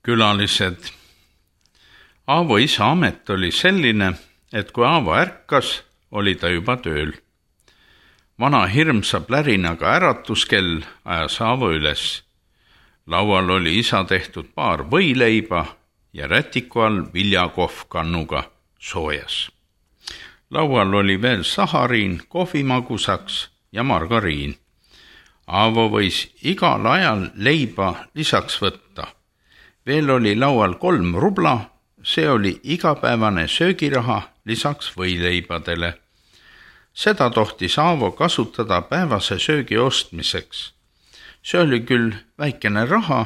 Külalised. Aavo isa amet oli selline, et kui Aavo ärkas, oli ta juba tööl. Vana hirmsa plärinaga äratuskell ajas Aavo üles. Laual oli isa tehtud paar võileiba ja rätiku all viljakohv kannuga soojas. Laual oli veel sahariin kohvimagusaks ja margariin. Aavo võis igal ajal leiba lisaks võtta. Veel oli laual 3 rubla, see oli igapäevane söögiraha lisaks võileibadele. Seda tohtis Aavo kasutada päevase söögi ostmiseks. See oli küll väikene raha,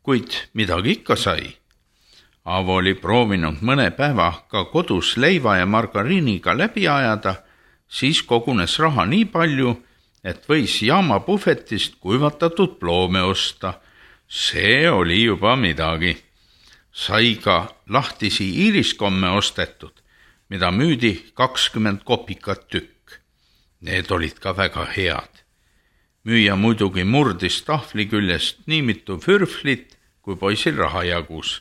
kuid midagi ikka sai. Aavo oli proovinud mõne päeva ka kodus leiva ja margariiniga läbi ajada, siis kogunes raha nii palju, et võis jaama puhvetist kuivatatud ploome osta. See oli juba midagi. Sai ka lahtisi iiriskomme ostetud, mida müüdi 20 kopikat tükk. Need olid ka väga head. Müüja muidugi murdis tahvli küljest nii mitu fürflit, kui poisil raha jagus.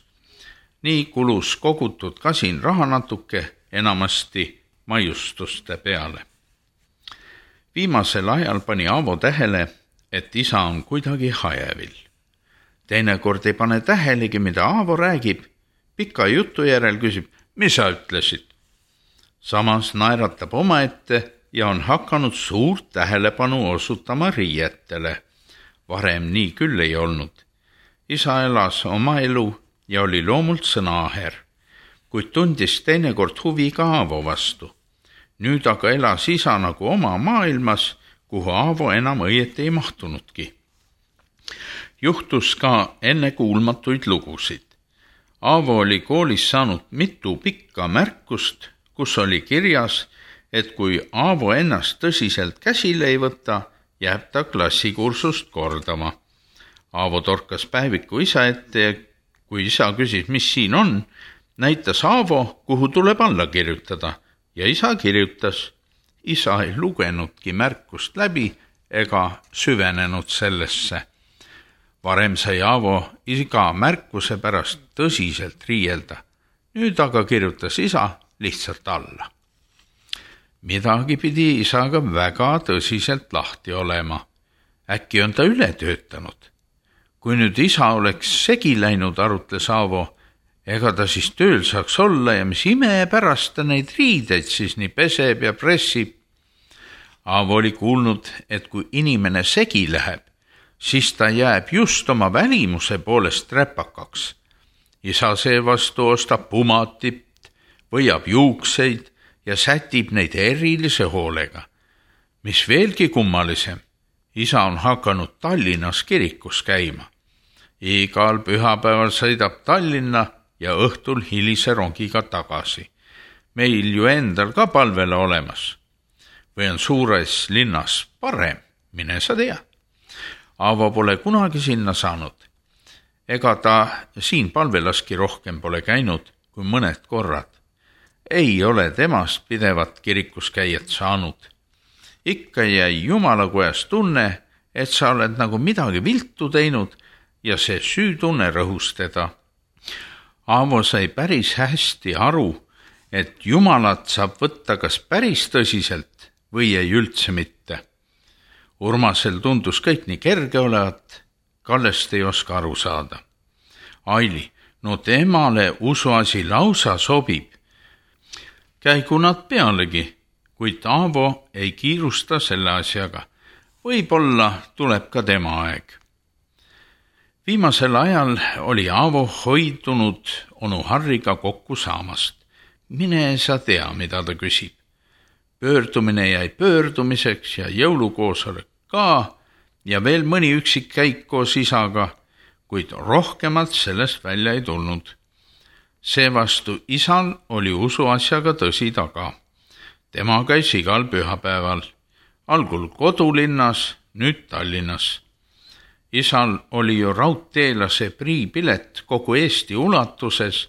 Nii kulus kogutud kasin raha natuke, enamasti maiustuste peale. Viimasel ajal pani Aavo tähele, et isa on kuidagi hajevil. Teinekord ei pane tähelegi, mida Aavo räägib. Pika jutu järel küsib, mis sa ütlesid? Samas naeratab omaette ja on hakanud suurt tähelepanu osutama riietele. Varem nii küll ei olnud. Isa elas oma elu ja oli loomult sõnaaher, kuid tundis teinekord huvi ka Aavo vastu. Nüüd aga elas isa nagu oma maailmas, kuhu Aavo enam õieti ei mahtunudki. Juhtus ka ennekuulmatuid lugusid. Aavo oli koolis saanud mitu pikka märkust, kus oli kirjas, et kui Aavo ennast tõsiselt käsile ei võta, jääb ta klassikursust kordama. Aavo torkas päeviku isa ette ja kui isa küsis, mis siin on, näitas Aavo, kuhu tuleb alla kirjutada ja isa kirjutas. Isa ei lugenudki märkust läbi ega süvenenud sellesse. Varem sai Aavo iga märkuse pärast tõsiselt riielda. Nüüd aga kirjutas isa lihtsalt alla. Midagi pidi isaga väga tõsiselt lahti olema. Äkki on ta üle töötanud. Kui nüüd isa oleks segi läinud, arutles Aavo, ega ta siis tööl saaks olla ja mis ime pärast ta neid riideid siis nii peseb ja pressib. Aavo oli kuulnud, et kui inimene segi läheb, siis ta jääb just oma välimuse poolest räpakaks. Isa seevastu ostab pumatit, võiab juukseid ja sätib neid erilise hoolega. Mis veelgi kummalisem, isa on hakanud Tallinnas kirikus käima. Igal pühapäeval sõidab Tallinna ja õhtul hilise rongiga tagasi. Meil ju endal ka palvele olemas. Või on suures linnas parem, mine sa tea. Aavo pole kunagi sinna saanud. Ega ta siin palvelaski rohkem pole käinud kui mõned korrad. Ei ole temast pidevat kirikus käijat saanud. Ikka jäi Jumalakojas tunne, et sa oled nagu midagi viltu teinud ja see süütunne rõhus teda. Aavo sai päris hästi aru, et Jumalat saab võtta kas päris tõsiselt või ei üldse mitte. Urmasel tundus kõik nii kerge olevat, Kallest ei oska aru saada. Aili, no temale usuasi lausa sobib. Käigu nad pealegi, kuid Aavo ei kiirusta selle asjaga. Võib-olla tuleb ka tema aeg. Viimasel ajal oli Aavo hoidunud onu Harriga kokku saamast. Mine sa tea, mida ta küsib. Pöördumine jäi pöördumiseks ja jõulukoosolek ka ja veel mõni üksik käik koos isaga, kuid rohkemalt sellest välja ei tulnud. Seevastu isal oli usuasjaga tõsi taga. Tema käis igal pühapäeval, algul kodulinnas, nüüd Tallinnas. Isal oli ju raudteelase priipilet kogu Eesti ulatuses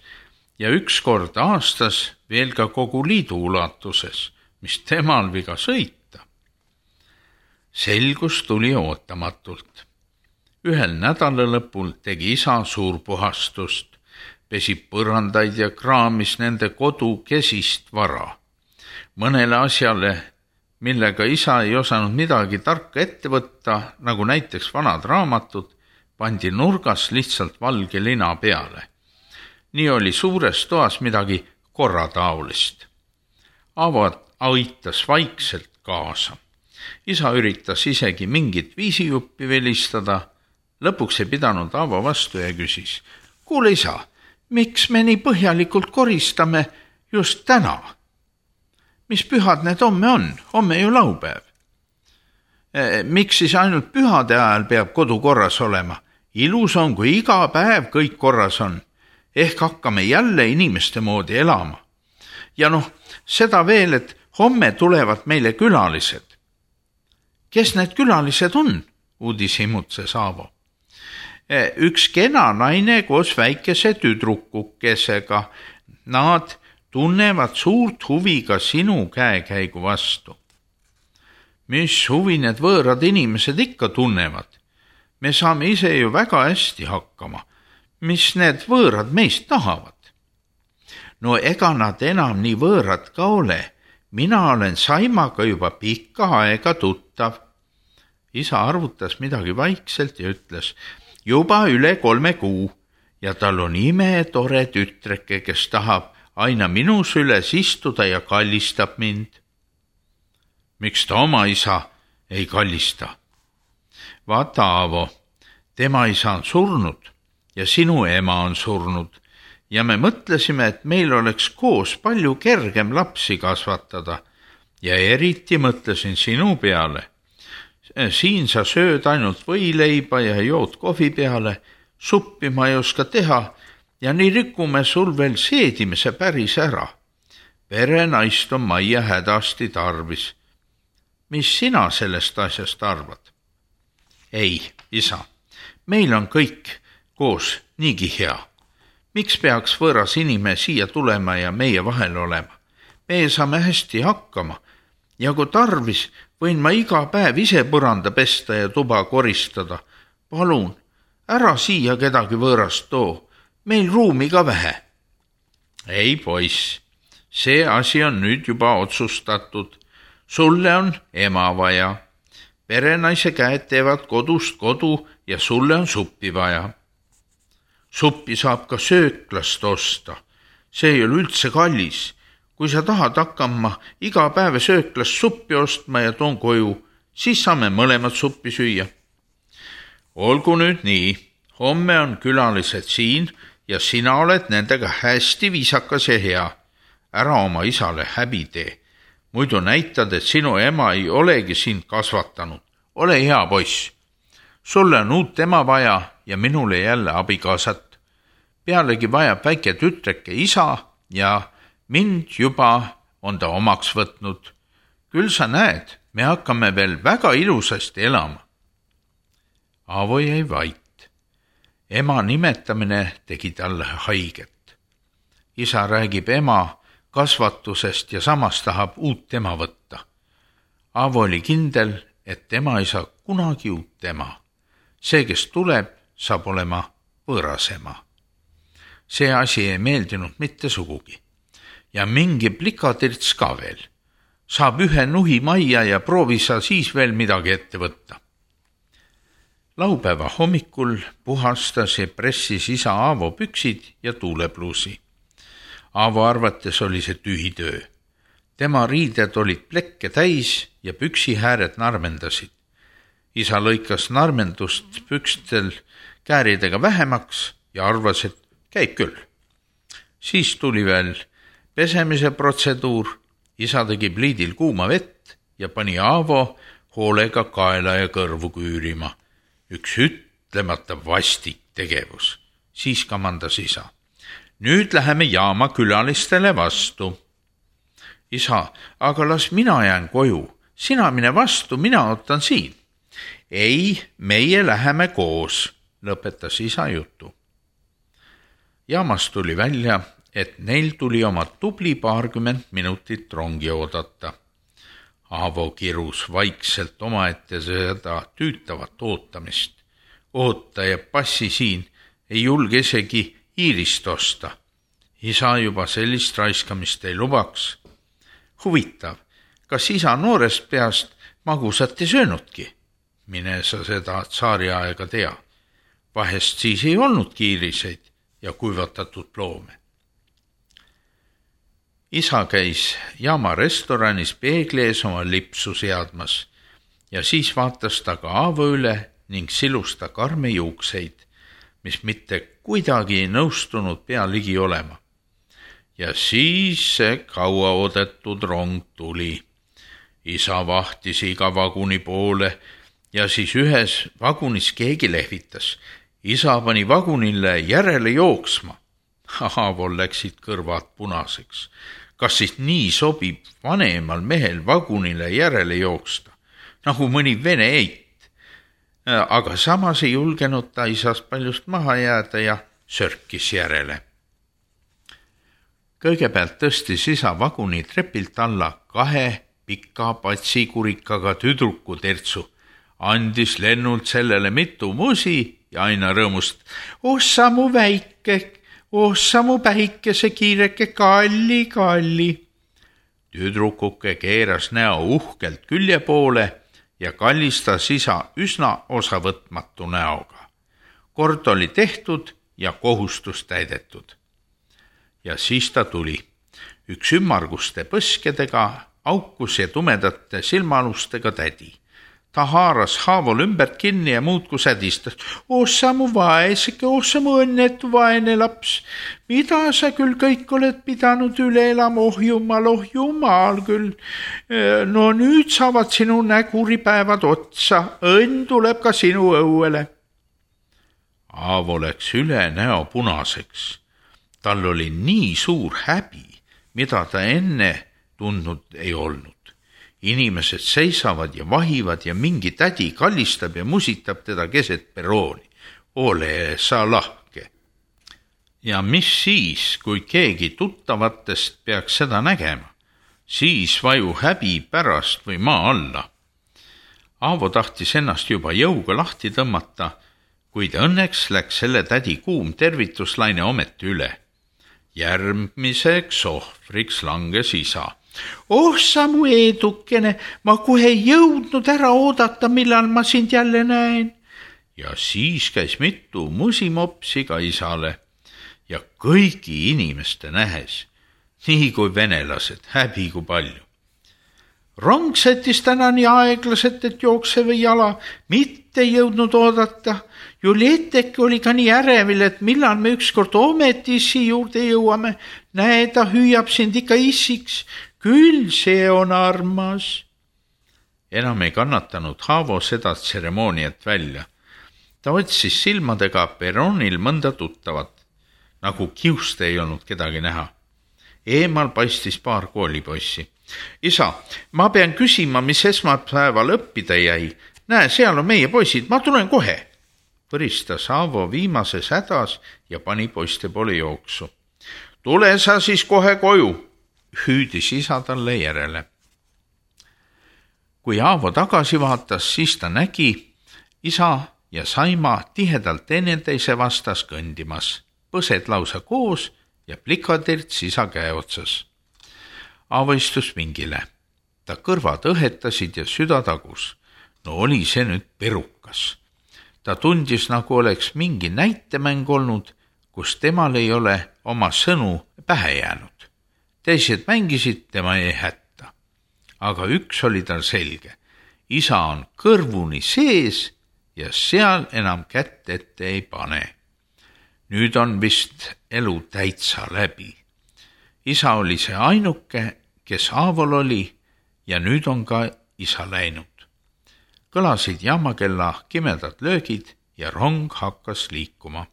ja üks kord aastas veel ka kogu liidu ulatuses, mis temal viga sõita. Selgus tuli ootamatult. Ühel nädalalõpul tegi isa suurpuhastust, pesi põrandaid ja kraamis nende kodu kesist vara. Mõnele asjale, millega isa ei osanud midagi tarka ette võtta, nagu näiteks vanad raamatud, pandi nurgas lihtsalt valge lina peale. Nii oli suures toas midagi korrataolist. Aavo aitas vaikselt kaasa. Isa üritas isegi mingit viisijuppi velistada. Lõpuks ei pidanud Aavo vastu ja küsis, kuule isa, miks me nii põhjalikult koristame just täna? Mis pühad need homme on? Homme ju laupäev. Miks siis ainult pühade ajal peab kodu korras olema? Ilus on, kui iga päev kõik korras on. Ehk hakkame jälle inimeste moodi elama. Ja seda veel, et homme tulevad meile külalised. Kes need külalised on? Uudis imutses Aavo. Üks kena naine koos väikese tüdrukukesega. Nad tunnevad suurt huvi ka sinu käekäigu vastu. Mis huvi need võõrad inimesed ikka tunnevad? Me saame ise ju väga hästi hakkama. Mis need võõrad meist tahavad? No ega nad enam nii võõrad ka ole. Mina olen Saimaga juba pikka aega tuttav. Isa arvutas midagi vaikselt ja ütles, juba üle 3 kuu ja tal on imetore tütreke, kes tahab aina minu süles istuda ja kallistab mind. Miks ta oma isa ei kallista? Vaata, Aavo, tema isa on surnud ja sinu ema on surnud ja me mõtlesime, et meil oleks koos palju kergem lapsi kasvatada ja eriti mõtlesin sinu peale. Siin sa sööd ainult võileiba ja jood kohvi peale, suppi ma ei oska teha ja nii rikume sul veel seedimise päris ära. Perenaist on majja hädasti tarvis. Mis sina sellest asjast arvad? Ei, isa, meil on kõik koos niigi hea. Miks peaks võõras inimene siia tulema ja meie vahel olema? Meie saame hästi hakkama ja kui tarvis, võin ma iga päev ise põranda pesta ja tuba koristada. Palun, ära siia kedagi võõrast too, meil ruumi ka vähe. Ei, poiss, see asi on nüüd juba otsustatud. Sulle on ema vaja. Perenaise käed teevad kodust kodu ja sulle on suppi vaja. Suppi saab ka sööklast osta. See ei ole üldse kallis. Kui sa tahad hakkama iga päev sööklast suppi ostma ja toon koju, siis saame mõlemad suppi süüa. Olgu nüüd nii, homme on külalised siin ja sina oled nendega hästi viisakas ja hea. Ära oma isale häbi tee. Muidu näitad, et sinu ema ei olegi sind kasvatanud. Ole hea poiss. Sulle on uut ema vaja ja minule jälle abikaasat. Pealegi vajab väike tütreke isa ja mind juba on ta omaks võtnud. Küll sa näed, me hakkame veel väga ilusasti elama. Aavo jäi vait. Ema nimetamine tegi talle haiget. Isa räägib ema kasvatusest ja samas tahab uut ema võtta. Aavo oli kindel, et ema ei saa kunagi uut ema. See, kes tuleb, saab olema võõras ema. See asi ei meeldinud mitte sugugi. Ja mingi plikatirts ka veel. Saab ühe nuhi majja ja proovi sa siis veel midagi ette võtta. Laupäeva hommikul puhastas ja pressis isa Aavo püksid ja tuulepluusi. Aavo arvates oli see tühi töö. Tema riided olid plekke täis ja püksihääred narmendasid. Isa lõikas narmendust pükstel kääridega vähemaks ja arvas, et käib küll. Siis tuli veel pesemise protseduur. Isa tegi pliidil kuuma vett ja pani Aavo hoolega kaela ja kõrvu küürima. Üks ütlemata vastik tegevus. Siis kamandas isa. Nüüd läheme jaama külalistele vastu. Isa, aga las mina jään koju. Sina mine vastu, mina ootan siin. Ei, meie läheme koos, lõpetas isa jutu. Jaamast tuli välja, et neil tuli oma tubli 20 minutit rongi oodata. Aavo kirus vaikselt omaette seda tüütavat ootamist. oota ja passi siin, ei julge isegi Iirist osta. Isa juba sellist raiskamist ei lubaks. Huvitav, kas isa noorest peast magusat ei söönudki? Mine sa seda tsaariaega tea. Vahest siis ei olnudki iiriseid ja kuivatatud loome. Isa käis jaama restoranis peegli ees oma lipsu seadmas ja siis vaatas ta ka Aavo üle ning silus ta karme juukseid, mis mitte kuidagi ei nõustunud pea ligi olema. Ja siis see kauaoodatud rong tuli. Isa vahtis iga vaguni poole ja siis ühes vagunis keegi lehvitas. Isa pani vagunile järele jooksma. Aavol läksid kõrvad punaseks. Kas siis nii sobib vanemal mehel vagunile järele jooksta, nagu mõni vene eit? Aga samas ei julgenud ta isast paljust maha jääda ja sörkis järele. Kõigepealt tõstis isa vaguni trepilt alla 2 pika patsikurikaga tüdruku tertsu, andis lennult sellele mitu musi ja aina rõõmust. Ossa mu päikese kiireke kalli. Tüdrukuke keeras näo uhkelt külje poole ja kallistas isa üsna osavõtmatu näoga. Kord oli tehtud ja kohustus täidetud. Ja siis ta tuli. Üks ümmarguste põskedega, aukus ja tumedate silmalustega tädi. Ta haaras Haavol ümbert kinni ja muudku sädistas. Ossa mu vaeseke, ossa mu õnnetu vaene laps. Mida sa küll kõik oled pidanud üle elama, oh jumal küll. No nüüd saavad sinu näguripäevad otsa, õnn tuleb ka sinu õuele. Haavo läks üle näo punaseks. Tal oli nii suur häbi, mida ta enne tundnud ei olnud. Inimesed seisavad ja vahivad ja mingi tädi kallistab ja musitab teda keset perrooni. Ole sa lahke. Ja mis siis, kui keegi tuttavatest peaks seda nägema? Siis vaju häbi pärast või maa alla. Aavo tahtis ennast juba jõuga lahti tõmmata, kuid õnneks läks selle tädi kuum tervituslaine ometi üle. Järgmiseks ohvriks langes isa. Oh sa mu edukene, ma kohe ei jõudnud ära oodata, millal ma sind jälle näen. Ja siis käis mitu musimopsi ka isale ja kõigi inimeste nähes, nii kui venelased, häbi kui palju. Rong sättis täna nii aeglaselt, et jooksev jala mitte jõudnud oodata. Julieteke oli ka nii ärevil, et millal me ükskord ometi issi juurde jõuame. Näe, ta hüüab sind ikka issiks. Küll see on armas. Enam ei kannatanud Haavo seda tseremooniat välja. Ta otsis silmadega perronil mõnda tuttavat, nagu kiust ei olnud kedagi näha. Eemal paistis paar koolipoissi. Isa, ma pean küsima, mis esmaspäeval õppida jäi. Näe, seal on meie poisid, ma tulen kohe. Põristas Haavo viimases hädas ja pani poiste poole jooksu. Tule sa siis kohe koju, hüüdis isa talle järele. Kui Haavo tagasi vaatas, siis ta nägi isa ja Saima tihedalt teineteise vastas kõndimas, põsed lausa koos ja plikatirts isa käe otsas. Haavo istus vingile. Ta kõrvad õhetasid ja süda tagus. No oli see nüüd perukas. Ta tundis, nagu oleks mingi näitemäng olnud, kus temal ei ole oma sõnu pähe jäänud. Teised mängisid, tema ei hätta. Aga üks oli tal selge. Isa on kõrvuni sees ja seal enam kätt ette ei pane. Nüüd on vist elu täitsa läbi. Isa oli see ainuke, kes Haavol oli ja nüüd on ka isa läinud. Kõlasid jaamakella kimedad löögid ja rong hakkas liikuma.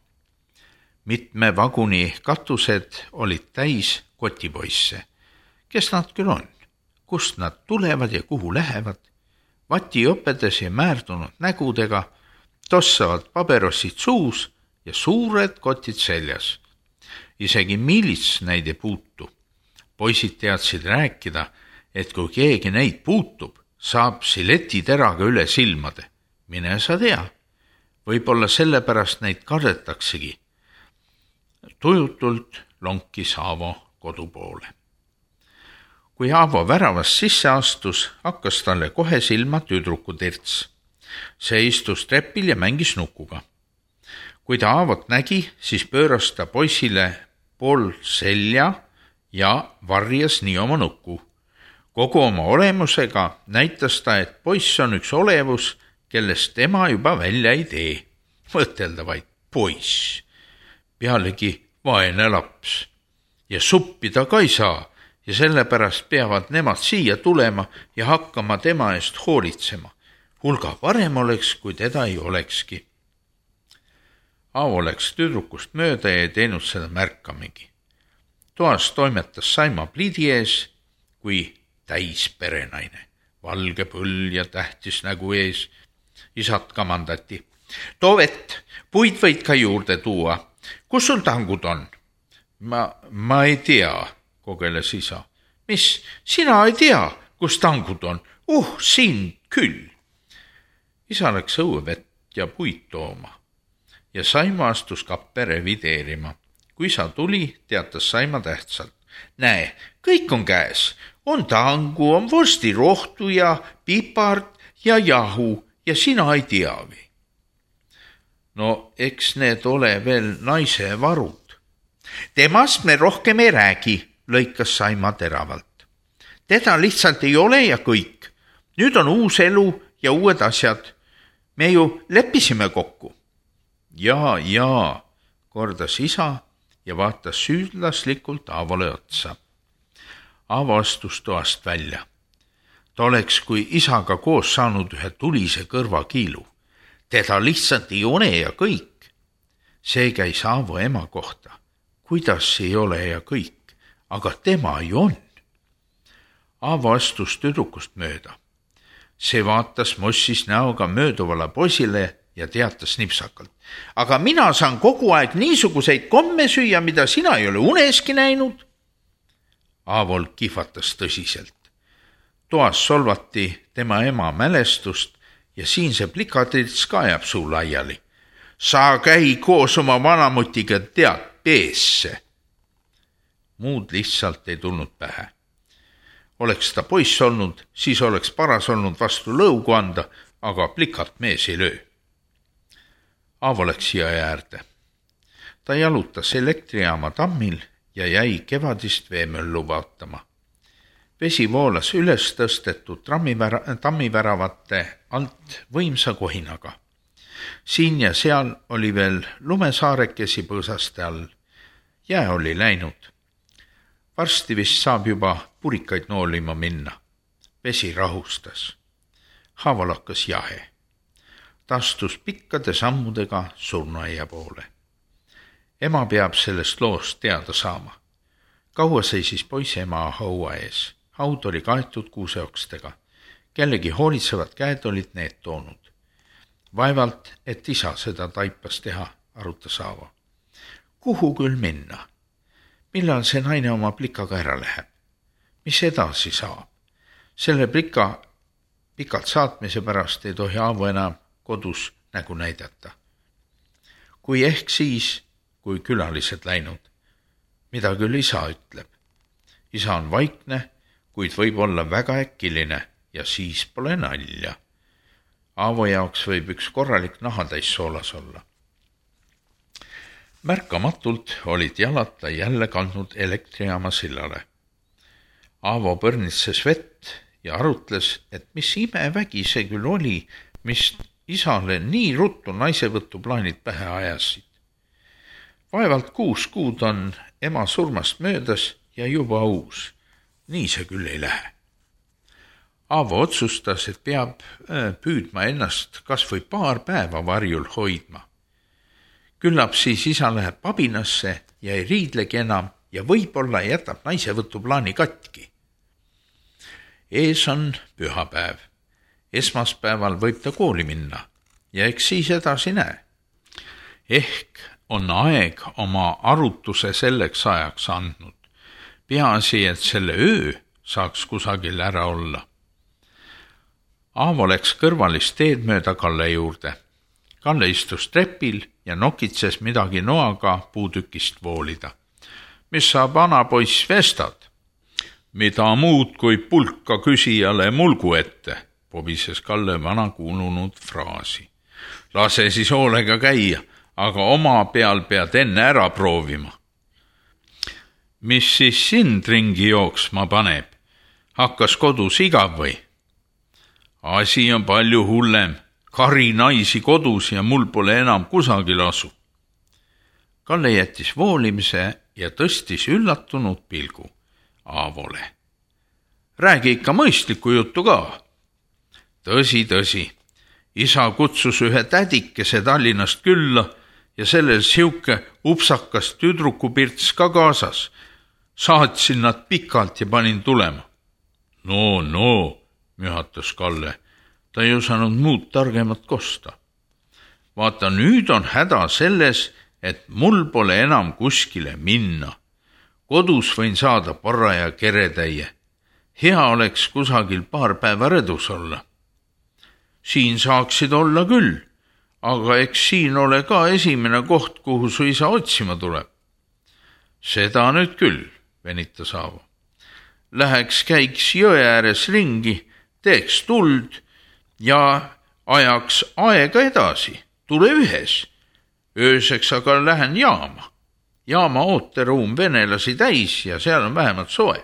Mitme vaguni katused olid täis kotipoisse. Kes nad küll on? Kust nad tulevad ja kuhu lähevad? Vatiõpedes ja määrdunud nägudega, tossavad paberossid suus ja suured kotid seljas. Isegi miilits neid ei puutu. Poisid teadsid rääkida, et kui keegi neid puutub, saab siletiteraga üle silmade. Mine sa tea. Võib-olla sellepärast neid kardetaksegi. Tujutult lonkis Aavo kodu poole. Kui Aavo väravast sisse astus, hakkas talle kohe silma tüdruku Terts. See istus trepil ja mängis nukuga. Kui ta Aavot nägi, siis pööras ta poisile pool selja ja varjas nii oma nukku. Kogu oma olemusega näitas ta, et poiss on üks olevus, kellest tema juba välja ei tee. Mõtelda vaid poiss. Pealegi vaene laps. Ja suppi ta ka ei saa ja sellepärast peavad nemad siia tulema ja hakkama tema eest hoolitsema. Hulga parem oleks, kui teda ei olekski. Aavo läks tüdrukust mööda ja ei teinud seda märkamegi. Toas toimetas Saima pliidi ees, kui täis perenaine. Valge põll ja tähtis nägu ees. Isad kamandati. Too vett, puid võid ka juurde tuua. Kus sul tangud on? Ma ei tea, kogeles isa. Mis, sina ei tea, kus tangud on? Siin küll. Isa läks õuevett ja puid tooma. Ja Saima astus kappe revideerima. Kui isa tuli, teatas Saima tähtsalt. Näe, kõik on käes. On tangu, on vorstirohtu ja pipart ja jahu ja sina ei teagi. No eks need ole veel naise varud. Temast me rohkem ei räägi, lõikas Saima teravalt. Teda lihtsalt ei ole ja kõik. Nüüd on uus elu ja uued asjad. Me ju leppisime kokku. Jaa, kordas isa ja vaatas süüdlaslikult Aavole otsa. Aavo astus toast välja. Ta oleks kui isaga koos saanud ühe tulise kõrvakiilu. Teda lihtsalt ei ole ja kõik. See käis Aavo ema kohta. Kuidas ei ole ja kõik, aga tema ju on. Aavo astus tüdrukust mööda. See vaatas mossis näoga mööduvale poisile ja teatas nipsakalt. Aga mina saan kogu aeg niisuguseid komme süüa, mida sina ei ole uneski näinud. Aavol kihvatas tõsiselt. Toas solvati tema ema mälestust ja siin see plikatrits ka jääb suu laiali. Sa käi koos oma vanamutiga tead peesse. Muud lihtsalt ei tulnud pähe. Oleks ta poiss olnud, siis oleks paras olnud vastu lõugu anda, aga plikat mees ei löö. Aavo läks siia äärde. Ta jalutas elektrijaama tammil ja jäi kevadist veemöllu vaatama. Vesi voolas üles tõstetud tammiväravate alt võimsa kohinaga. Siin ja seal oli veel lumesaarekesi põõsaste all. Jää oli läinud. Varsti vist saab juba purikaid noolima minna. Vesi rahustas. Haaval hakkas jahe. Ta astus pikkade sammudega surnuaia poole. Ema peab sellest loost teada saama. Kaua seisis poisi ema haua ees. Haud oli kaetud kuuseokstega. Kellegi hoolitsevad käed olid need toonud. Vaevalt, et isa seda taipas teha, arutas Aavo. Kuhu küll minna? Millal see naine oma plikaga ära läheb? Mis edasi saab? Selle plika pikalt saatmise pärast ei tohi Aavo enam kodus nägu näidata. Kui ehk siis, kui külalised läinud, mida küll isa ütleb. Isa on vaikne, kuid võib olla väga äkiline ja siis pole nalja. Aavo jaoks võib üks korralik nahatäis soolas olla. Märkamatult olid jalad ta jälle kandnud elektrijaama sillale. Aavo põrnitses vett ja arutles, et mis imevägi see küll oli, mis isale nii ruttu naisevõttu plaanid pähe ajasid. Vaevalt 6 kuud on ema surmast möödas ja juba uus. Nii see küll ei lähe. Aavo otsustas, et peab püüdma ennast kas või paar päeva varjul hoidma. Küllap siis isa läheb pabinasse ja ei riidlegi enam ja võib-olla jätab naisevõtu plaani katki. Ees on pühapäev. Esmaspäeval võib ta kooli minna ja eks siis edasi näe. Ehk on aeg oma arutuse selleks ajaks andnud. Peaasi, et selle öö saaks kusagil ära olla. Aavo läks kõrvalist teed mööda Kalle juurde. Kalle istus trepil ja nokitses midagi noaga puutükist voolida. Mis sa, vanapoiss, vestad? Mida muud kui pulka küsijale mulgu ette, pobises Kalle vana kuulunud fraasi. Lase siis hoolega käia, aga oma peal pead enne ära proovima. Mis siis sind ringi jooksma paneb? Hakkas kodus igav või? Asi on palju hullem. Kari naisi kodus ja mul pole enam kusagil asu. Kalle jättis voolimise ja tõstis üllatunud pilgu Aavole. Räägi ikka mõistlikku juttu ka. Tõsi. Isa kutsus ühe tädikese Tallinnast külla ja sellel siuke upsakas tüdrukupirts ka kaasas. Saatsin nad pikalt ja panin tulema. No, mühatas Kalle. Ta ei osanud muud targemat kosta. Vaata, nüüd on häda selles, et mul pole enam kuskile minna. Kodus võin saada paraja keretäie. Hea oleks kusagil paar päeva rõdus olla. Siin saaksid olla küll, aga eks siin ole ka esimene koht, kuhu su isa otsima tuleb. Seda nüüd küll, venitas Aavo. Läheks käiks jõe ääres ringi, teeks tuld ja ajaks aega edasi, tule ühes. Ööseks aga lähen jaama. Jaama ooteruum venelasi täis ja seal on vähemalt soe.